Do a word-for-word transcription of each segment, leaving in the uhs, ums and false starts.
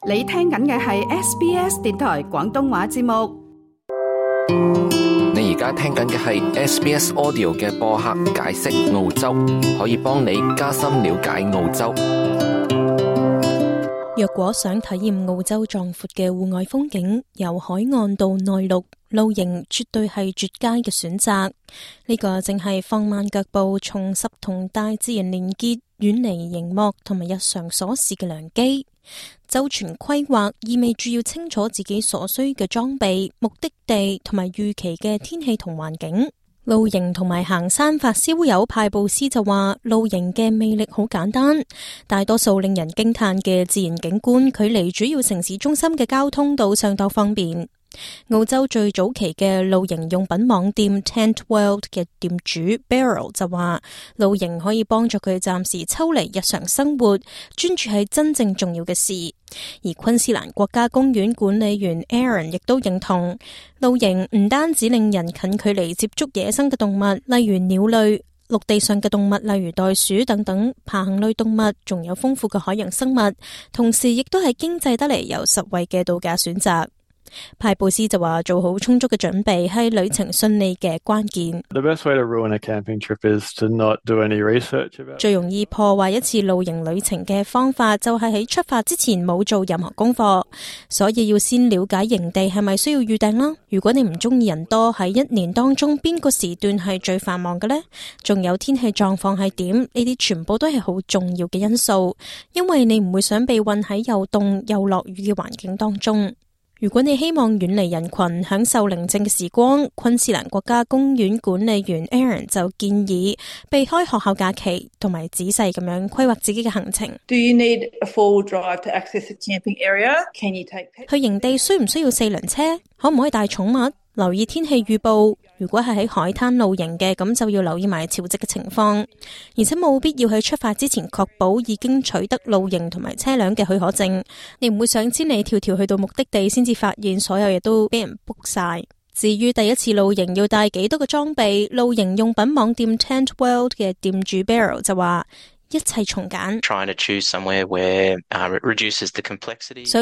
你聽緊嘅係 S B S 電台廣東話節目。你而家聽緊嘅係 S B S Audio 嘅播客解釋澳洲，可以幫你加深了解澳洲。若果想體驗澳洲壯闊嘅戶外風景，由海岸到內陸，露營絕對係絕佳嘅選擇。呢個正係放慢腳步，重拾同大自然連結，遠離熒幕同埋日常瑣事嘅良機。周全規劃意味住要清楚自己所需嘅裝備、目的地同埋預期嘅天氣同環境。露營同埋行山發燒友派布斯就話，露營嘅魅力好簡單，大多數令人驚嘆嘅自然景觀，距離主要城市中心嘅交通都相當方便。澳洲最早期嘅露營用品網店 Tent World 嘅店主 Beryl 就話，露營可以幫助佢暫時抽離日常生活，專注喺真正重要嘅事。而昆士蘭國家公園管理員 Aaron 亦都認同，露營唔單止令人近距離接觸野生嘅動物，例如鳥類、陸地上嘅動物，例如袋鼠等等爬行類動物，仲有豐富嘅海洋生物，同時亦都係經濟得嚟又實惠嘅度假選擇。派布斯就話，做好充足嘅準備係旅程順利嘅關鍵。The best way to ruin a camping trip is to not do any research about. 最容易破壞一次露營旅程嘅方法就係喺出發之前冇做任何功課，所以要先了解營地係咪需要預訂啦。如果你唔中意人多，喺一年當中邊個時段係最繁忙嘅呢？仲有天氣狀況係點？呢啲全部都係好重要嘅因素，因為你唔會想被困喺又凍又落雨嘅環境當中。如果你希望遠離人群，享受寧靜嘅時光，昆士蘭國家公園管理員 Aaron 就建議避開學校假期，同埋仔細咁樣規劃自己嘅行程。Do you need a four-wheel drive to access a camping area? Can you take pets? 去營地需唔需要四輪車？可唔可以帶寵物？留意天氣預報，如果係喺海灘露營嘅，咁就要留意埋潮汐嘅情況，而且冇必要喺出發之前確保已經取得露營同埋車輛嘅許可證。你唔會想千里迢迢去到目的地先至發現所有嘢都俾人 book 晒。至於第一次露營要帶幾多個裝備，露營用品網店 Tent World 嘅店主 Beryl 就話，一切從簡，嘗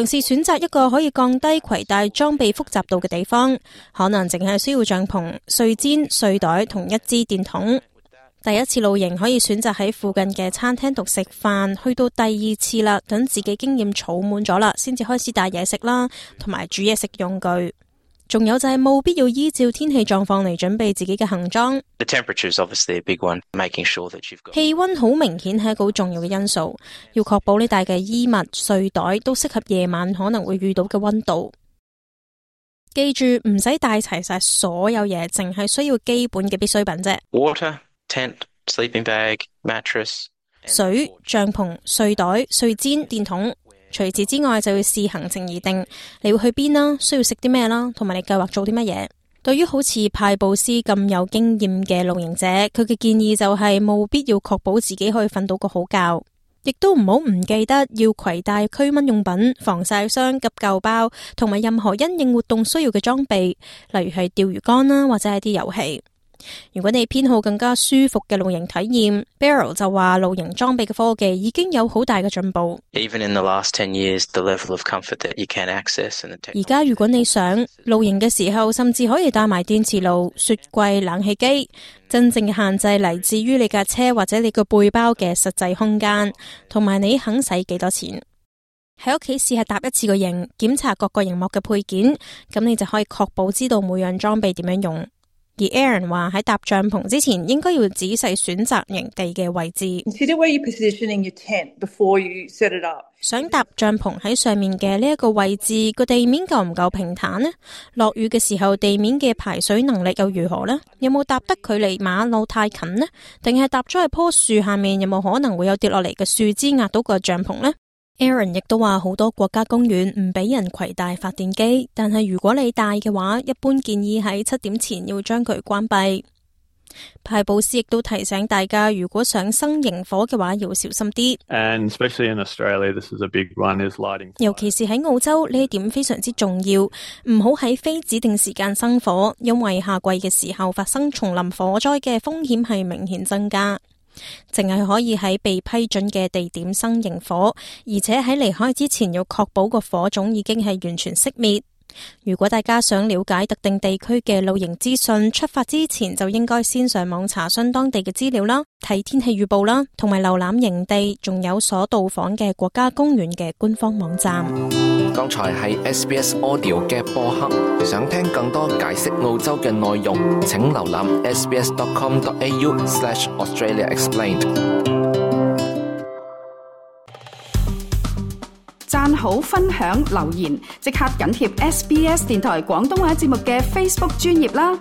試選擇一個可以降低攜帶裝備複雜度嘅地方，可能淨係需要帳篷、睡氈、睡袋同一支電筒。第一次露營可以選擇喺附近嘅餐廳度食飯，去到第二次啦，等自己經驗儲滿咗啦，先至開始帶嘢食啦，同埋煮嘢食用具。仲有就係冇必要依照天氣狀況嚟準備自己嘅行裝。氣溫好明顯係一個好重要嘅因素，要確保你帶嘅衣物、睡袋都適合夜晚可能會遇到嘅溫度。記住唔使帶齊晒所有嘢，淨係需要基本嘅必需品啫。Water, tent, sleeping bag, mattress. 水、帳篷、睡袋、睡氈、電筒。除此之外，就要視行程而定，你會去邊啦，需要食啲咩啦，同埋你計劃做啲乜嘢。對於好似派布斯咁有經驗嘅露營者，佢嘅建議就係冇必要確保自己可以瞓到個好覺，亦都唔好唔記得要攜帶驅蚊用品、防曬霜、急救包，同埋任何因應活動需要嘅裝備，例如係釣魚竿啦，或者係啲遊戲。如果你偏好更加舒服嘅露營體驗， Beryl 就話露營裝備嘅科技已經有好大嘅進步。而家如果你想露營嘅時候，甚至可以帶埋電磁爐、雪櫃、冷氣機。真正嘅限制嚟自於你架車或者你個背包嘅實際空間，同埋你肯使幾多錢。喺屋企試下搭一次個營，檢查各個營幕嘅配件，咁你就可以確保知道每樣裝備點樣用。而 Aaron 話喺搭帳篷之前，應該要仔細選擇營地嘅位置。Consider where you're positioning your tent before you set it up. 想搭帳篷喺上面嘅呢一個位置，個地面夠唔夠平坦呢？落雨嘅時候，地面嘅排水能力又如何呢？有冇搭得距離馬路太近呢？定係搭咗喺棵樹下面，有冇可能會有跌落嚟嘅樹枝壓到個帳篷呢？Aaron 亦都話好多國家公園唔俾人攜帶發電機，但係如果你帶嘅話，一般建議喺七點前要將佢關閉。派布斯亦都提醒大家，如果想生營火嘅話，要小心啲。And especially in Australia, this is a big one, is lighting fire. 尤其是喺澳洲，呢一點非常之重要，唔好喺非指定時間生火，因為夏季嘅時候發生叢林火災嘅風險係明顯增加。淨係可以喺被批准嘅地點生營火，而且喺離開之前要確保個火種已經係完全熄滅。如果大家想了解特定地區嘅露營資訊，出發之前就應該先上網查詢當地嘅資料啦，睇天氣預報啦，同埋瀏覽營地，仲有所到訪嘅國家公園嘅官方網站。剛才係 S B S Audio 嘅播客，想聽更多解釋澳洲嘅內容，請瀏覽 s b s dot com dot a u slash Australia Explained。讚好、分享、留言，即刻緊貼 S B S 電台廣東話節目嘅 Facebook 專頁啦！